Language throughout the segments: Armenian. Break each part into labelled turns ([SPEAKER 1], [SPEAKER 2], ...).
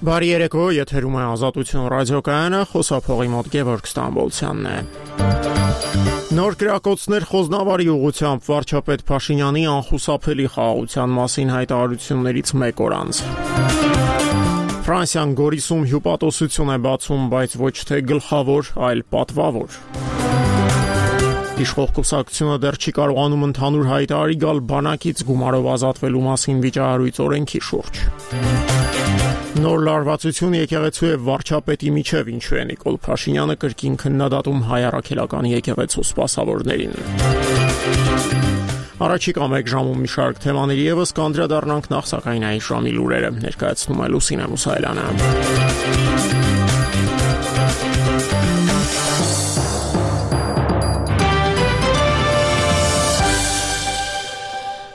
[SPEAKER 1] Բարի երեկո, եթերում է Ազատություն ռադիոկայանը, խոսափողի մոտ Գևորգ Ստամբոլցյանն է։ Նոր կրակոցներ Խոզնավարի ուղղությամբ վարչապետ Փաշինյանի անխուսափելի խաղաղության մասին հայտարարություններից մեկ օր անց։ Ֆրանսիան Գորիսում հյուպատոսություն է բացում, բայց ոչ թե գլխավոր, այլ պատվավոր։ Իշխող կուսակցությունը դեռ չի կարողանում ընդհանուր հայտարարի գալ բանակից գումարով ազատվելու մասին վիճահարույց օրենքի շուրջ։ Նոր լարվածություն եկեղեցու եւ վարչապետի միջև, ինչու է Նիկոլ Փաշինյանը կրկին քննադատում հայ առաքելական եկեղեցու սպասավորներին։ Առաջիկա մեկ ժամում մի շարք թեմաների եւս կանդրադառնանք, նախ սակայն այս ժամի լուրերը ներկայացնում է Լուսինե Մուսայելյանը։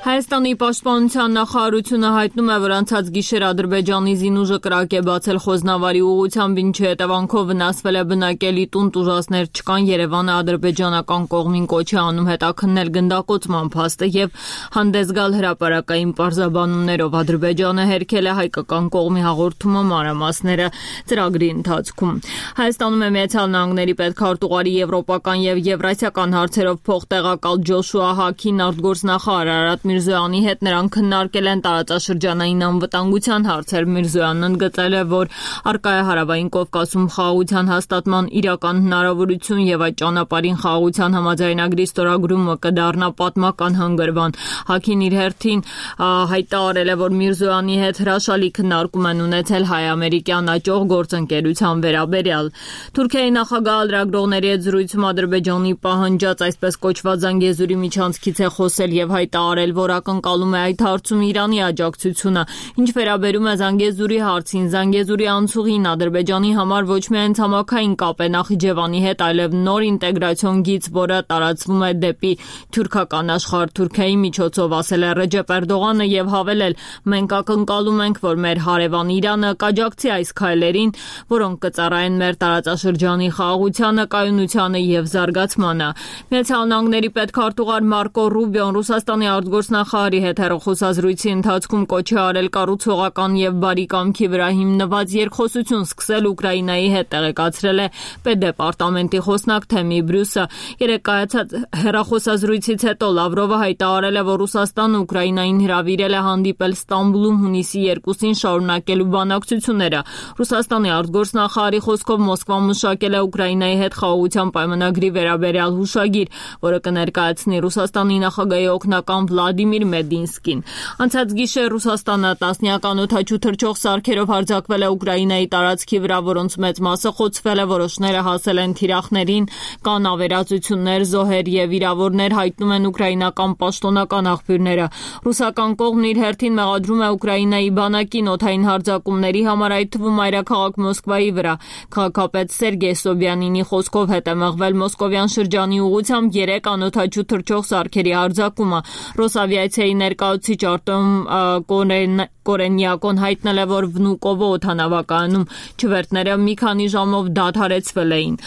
[SPEAKER 2] Հայաստանի պաշտպանության նախարարությունը հայտնում է, որ անցած գիշեր Ադրբեջանի զինուժը կրակ է բացել Խոզնավարի ուղղությամբ, ինչի հետևանքով վնասվել է բնակելի տուն, տուժածներ չկան։ Երևանը ադրբեջանական կողմին կոչ է անում հետաքննել գնդակոծման փաստը եւ հանդես գալ հրապարակային պարզաբանումներով։ Ադրբեջանը հերքել է հայկական կողմի հաղորդումը, մանրամասները ծրագրի ընթացքում։ Հայաստանում է Միացյալ Նահանգների պետքարտուղարի եվրոպական եւ եվրասիական հարցերով փոխտեղակալ Ջոշուա Հաքին արտգործնախարար Արարատ Միրզոյանի հետ նրանք քննարկել են տարածաշրջանային անվտանգության հարցեր։ Միրզոյանն ընդգծել է, որ առկա է Հարավային Կովկասում խաղաղության հաստատման իրական հնարավորություն եւ այդ ճանապարհին խաղաղության համաձայնագրի ստորագրումը կդառնա պատմական հանգրվան։ Հաքին իր հերթին հայտարարել է, որ Միրզոյանի հետ հրաշալի քննարկում են ունեցել հայ-ամերիկյան աճող գործընկերության վերաբերյալ։ Թուրքիայի նախագահ լրագրողների հետ զրույցում Ադրբեջանի պահանջած այսպես կոչված Զանգեզուրի միջանցքից է խոսել եւ հայտարարել, որ ակնկալում է այդ հարցում Իրանի աջակցությունը։ Ինչ վերաբերում է Զանգեզուրի հարցին, Զանգեզուրի անցուղին Ադրբեջանի համար ոչ միայն ցամաքային կապ է Նախիջևանի հետ, այլև նոր ինտեգրացիոն գիծ, որը տարածվում է դեպի թուրքական աշխարհ Թուրքիայի միջոցով, ասել է Ռեջեփ Էրդողանը եւ հավելել. մենք ակնկալում ենք, որ մեր հարևան Իրանը կաջակցի այս քայլերին, որոնք կծառայեն մեր տարածաշրջանի խաղաղությանը, կայունությանը եւ զարգացմանը։ Միացյալ Նահանգների պետքարտուղար Մարկո Ռուբիոն Ռուսաստանի արտգործնախարարի հետ հեռախոսազրույցի ընթացքում կոչ է արել կառուցողական եւ բարի կամքի վրա հիմնված երկխոսություն սկսել Ուկրաինայի հետ, տեղեկացրել է պետդեպարտամենտի խոսնակ Թեմի Բրյուսը։ Երեկ կայացած հեռախոսազրույցից հետո Լավրովը հայտարարել է, որ Ռուսաստանը Ուկրաինային հրավիրել է հանդիպել Ստամբուլում հունիսի 2-ին շարունակելու բանակցությունները։ Ռուսաստանի արտգործնախարարի խոսքով Մոսկվան մշակել է Ուկրաինայի հետ խաղաղության պայմանագրի վերաբերյալ հուշագիր, որը կներկայացնի Ռուսաստանի նախագահի օգնական Վլադիմիր Մեդինսկին։ Անցած գիշեր Ռուսաստանը տասնյական օդաչու թռչող սարքերով հարձակվել է Ուկրաինայի տարածքի վրա, որոնց մեծ մասը խոցվել է, որոշները հասել են թիրախներին, կան ավերածություններ, զոհեր եւ վիրավորներ, հայտնում են ուկրաինական պաշտոնական աղբյուրները։ Ռուսական կողմն իր հերթին մեղադրում է Ուկրաինայի բանակին օդային հարձակումների համար, այդ թվում մայրաքաղաք Մոսկվայի վրա։ Քաղաքապետ Սերգեյ Սոբյանինի խոսքով հետ է մղվել Մոսկովյան շրջանի ուղղությամբ 3 անօդաչու թռչող սարքերի հարձակումը։ Ռոսավիացիայի ներկայացուցիչ Արտեմ Կորենյակոն հայտնել է, որ Վնուկովո օդանավակայանում չվերթները մի քանի ժամով դադարեցվել էին։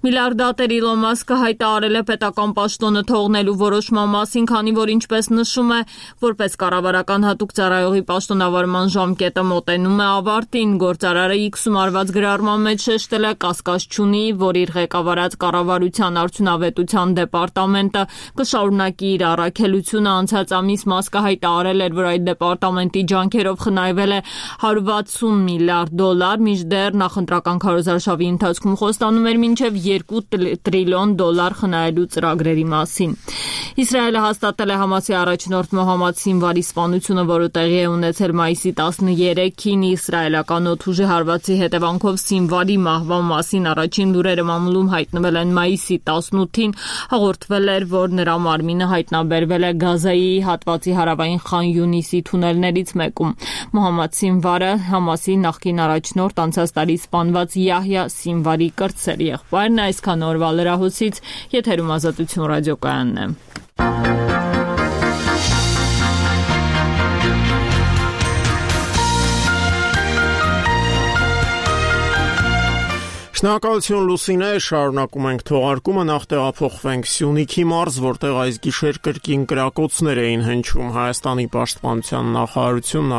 [SPEAKER 2] Միլիարդատեր Իլոն Մասկը հայտարարել է պետական պաշտոնը թողնելու որոշման մասին, քանի որ ինչպես նշում է, որպես կառավարական հատուկ ծառայողի պաշտոնավարման ժամկետը մոտենում է ավարտին։ Գործարարը X-ում արված գրառման մեջ շեշտել է կասկած չունի, որ իր ղեկավարած կառավարության արդյունավետության դեպարտամենտը կշարունակի իր առաքելությունը։ Անցած ամիս Մասկը հայտարարել էր, որ այդ դեպարտամենտի ջանքերով խնայվել է $160 միլիարդ, մինչդեռ նախընտրական քարոզարշավի ընթացքում խոստանում էր մինչև $2 տրիլիոն խնայելու ծրագրերի մասին։ Իսրայելը հաստատել է Համասի առաջնորդ Մոհամմադ Սինվարի սպանությունը, որը տեղի է ունեցել մայիսի 13-ին։ Իսրայելական օդուժի հարվածի հետևանքով Սինվարի մահվան մասին առաջին լուրերը մամուլում հայտնվել են մայիսի 18-ին։ Հաղորդվել էր, որ նրա մարմինը հայտնաբերվել է Գազայի հատվածի հարավային Խան Յունիսի թունելներից մեկում։ Մոհամմադ Սինվարը Համասի նախկին առաջնորդ, անցած տարի սպանված Յահյա Սինվարի կրտսեր եղբայրն է։ Այսքան օրվա լրահոսից, եթերում Ազատություն ռադիոկայանն է։
[SPEAKER 1] Շնորհակալություն Լուսինե, շարունակում ենք թողարկումը, նախ տեղափոխվենք Սյունիքի մարզ, որտեղ այս գիշեր կրկին կրակոցներ էին հնչում։ Հայաստանի պաշտպանության նախարարությունն